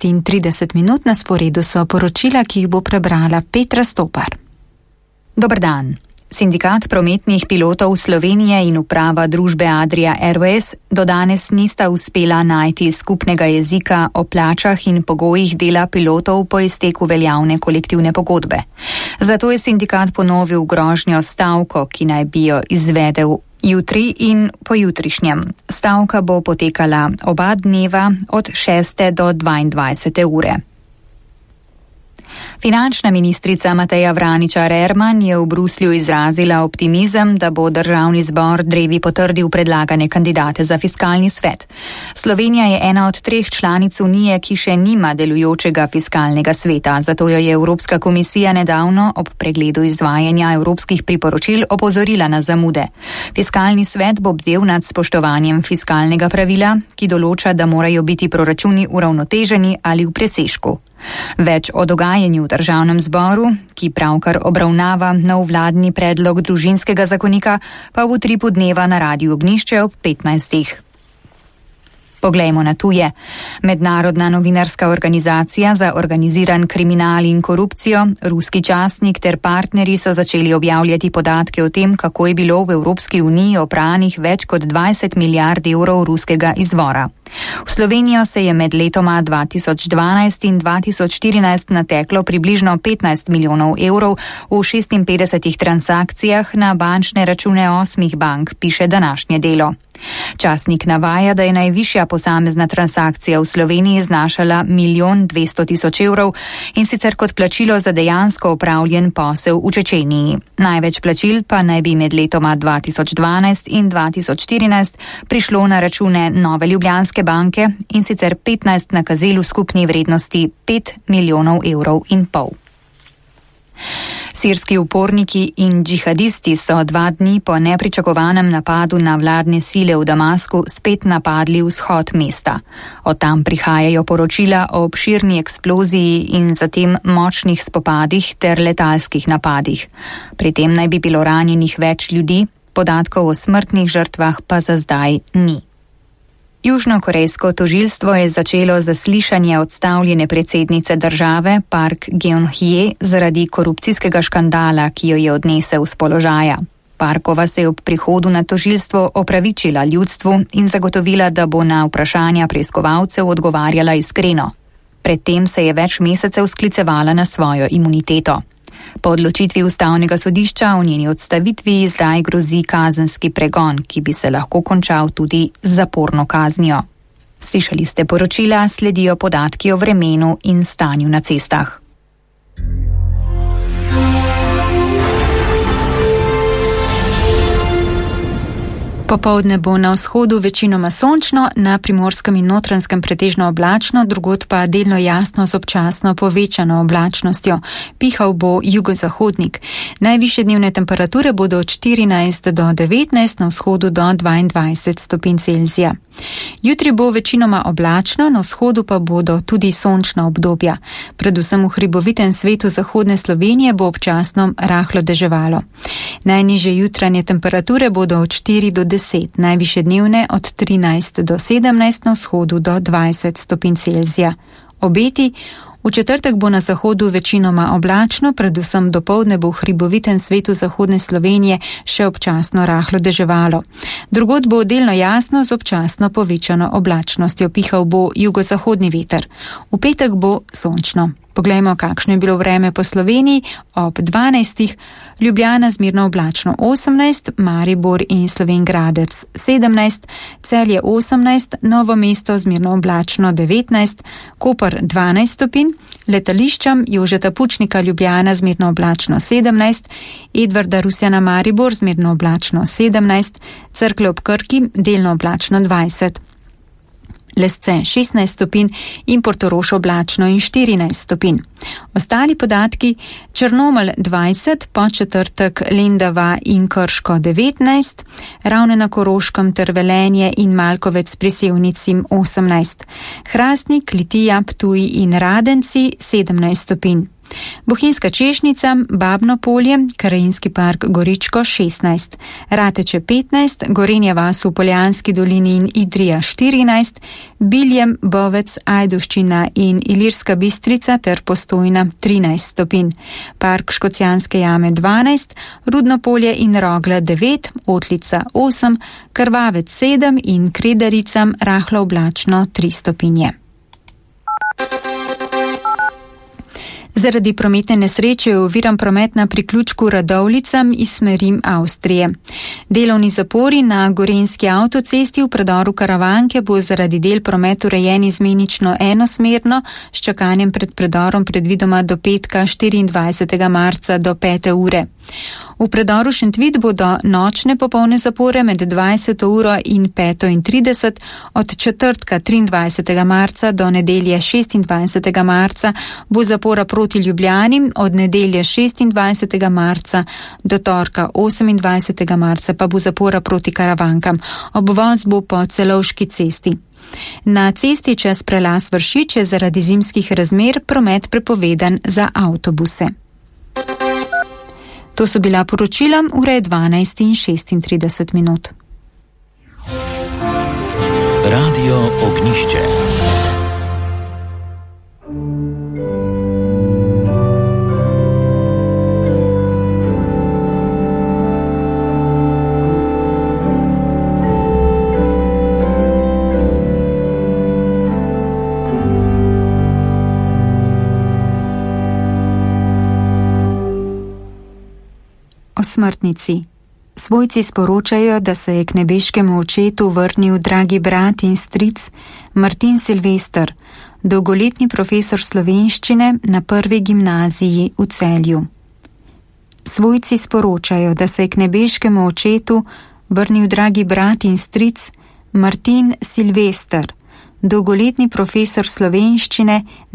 6:30 na sporedu so poročila, ki jih bo prebrala Petra Stopar. Dober dan. Sindikat prometnih pilotov Slovenije in uprava družbe Adria Airways do danes nista uspela najti skupnega jezika o plačah in pogojih dela pilotov po izteku veljavne kolektivne pogodbe. Zato je sindikat ponovil grožnjo stavko, ki naj bi jo izvedel jutri in pojutrišnjem. Stavka bo potekala oba dneva od 6. do 22. ure. Finančna ministrica Mateja Vraničar-Erman je v Bruslju izrazila optimizem, da bo državni zbor drevi potrdil predlagane kandidate za fiskalni svet. Slovenija je ena od 3 članic Unije, ki še nima delujočega fiskalnega sveta, zato jo je Evropska komisija nedavno ob pregledu izvajanja evropskih priporočil opozorila na zamude. Fiskalni svet bo bdel nad spoštovanjem fiskalnega pravila, ki določa, da morajo biti proračuni uravnoteženi ali v presežku. Več o dogajanju v državnem zboru, ki pravkar obravnava nov vladni predlog družinskega zakonika, pa v Utripu dneva na Radiu Ognjišče ob 15. Poglejmo na tuje. Mednarodna novinarska organizacija za organiziran kriminal in korupcijo, ruski časnik ter partnerji so začeli objavljati podatke o tem, kako je bilo v Evropski uniji opranih več kot 20 milijard evrov ruskega izvora. V Slovenijo se je med letoma 2012 in 2014 nateklo približno 15 milijonov evrov v 56 transakcijah na bančne račune 8 bank, piše današnje Delo. Časnik navaja, da je najvišja posamezna transakcija v Sloveniji znašala 1 200 000 evrov in sicer kot plačilo za dejansko opravljen posel v Čečeniji. Največ plačil pa naj bi med letoma 2012 in 2014 prišlo na račune Nove Ljubljanske banke in sicer 15 nakazil v skupni vrednosti 5,5 milijona evrov. Sirski uporniki in džihadisti so 2 dni po nepričakovanem napadu na vladne sile v Damasku spet napadli vzhod mesta. Od tam prihajajo poročila o obširni eksploziji in zatem močnih spopadih ter letalskih napadih. Pri tem naj bi bilo ranjenih več ljudi, podatkov o smrtnih žrtvah pa za zdaj ni. Južnokorejsko tožilstvo je začelo zaslišanje odstavljene predsednice države Park Geun-hye zaradi korupcijskega škandala, ki jo je odnesel z položaja. Parkova se je ob prihodu na tožilstvo opravičila ljudstvu in zagotovila, da bo na vprašanja preiskovalcev odgovarjala iskreno. Predtem se je več mesecev sklicevala na svojo imuniteto. Po odločitvi ustavnega sodišča o njeni odstavitvi zdaj grozi kazenski pregon, ki bi se lahko končal tudi z zaporno kaznijo. Slišali ste poročila, sledijo podatki o vremenu in stanju na cestah. Popoldne bo na vzhodu večinoma sončno, na Primorskem in Notranjskem pretežno oblačno, drugod pa delno jasno z občasno povečano oblačnostjo. Pihal bo jugozahodnik. Najvišje dnevne temperature bodo od 14 do 19, na vzhodu do 22 stopinj Celzija. Jutri bo večinoma oblačno, na vzhodu pa bodo tudi sončna obdobja. Predvsem v hribovitem svetu zahodne Slovenije bo občasno rahlo deževalo. Najnižje jutranje temperature bodo od 4 do 10, najvišje dnevne od 13 do 17, na vzhodu do 20 stopinj Celzija. Obeti: v četrtek bo na zahodu večinoma oblačno, predvsem dopoldne bo v hribovitem svetu zahodne Slovenije še občasno rahlo deževalo. Drugod bo delno jasno z občasno povečano oblačnostjo, pihal bo jugozahodni veter. V petek bo sončno. Poglejmo, kakšno je bilo vreme po Sloveniji. Ob 12. Ljubljana zmerno oblačno 18, Maribor in Slovenj Gradec 17, Celje 18, Novo mesto zmerno oblačno 19, Koper 12 stopinj, letališčem Jožeta Pučnika Ljubljana zmerno oblačno 17, Edvarda Rusjana Maribor zmerno oblačno 17, Cerklje ob Krki delno oblačno 20. Lesce 16 stopinj in Portorož oblačno in 14 stopinj. Ostali podatki: Črnomelj 20, Podčetrtek Lendava in Krško 19, Ravne na Koroškem ter Velenje in Malkovec pri Sevnici 18, Hrastnik, Litija, Ptuj in Radenci 17 stopinj. Bohinjska Češnjica, Babno polje, Krajinski park Goričko 16, Rateče 15, Gorenja vas v Poljanski dolini in Idrija 14, Biljem, Bovec, Ajdovščina in Ilirska Bistrica ter Postojna 13 stopinj, park Škocjanske jame 12, Rudno polje in Rogla 9, Otlica 8, Krvavec 7 in Kredaricam rahlo oblačno 3 stopinje. Zaradi prometne nesreče je oviran promet na priključku Radovlicam iz smeri Avstrije. Delovni zapori na Gorenjski avtocesti v predoru Karavanke bo zaradi del promet urejen izmenično enosmerno, s čakanjem pred predorom predvidoma do petka 24. marca do 5. ure. V predoru Šentvid bodo nočne popolne zapore med 20. uro in 5:30, od četrtka 23. marca do nedelje 26. marca bo zapora proti Ljubljani, od nedelje 26. marca do torka 28. marca pa bo zapora proti Karavankam. Obvoz bo po Celovški cesti. Na cesti čez prelaz Vršič je zaradi zimskih razmer promet prepovedan za avtobuse. To so bila poročila, ura je 12:36. Radio Ognišče. O smrtnici. Svojci sporočajo, da se je k nebeškemu očetu vrnil dragi brat in stric Martin Silvester, dolgoletni profesor slovenščine na prvi gimnaziji v Celju. Svojci sporočajo, da se je k nebeškemu očetu vrnil dragi brat in stric Martin Silvester, dolgoletni profesor slovenščine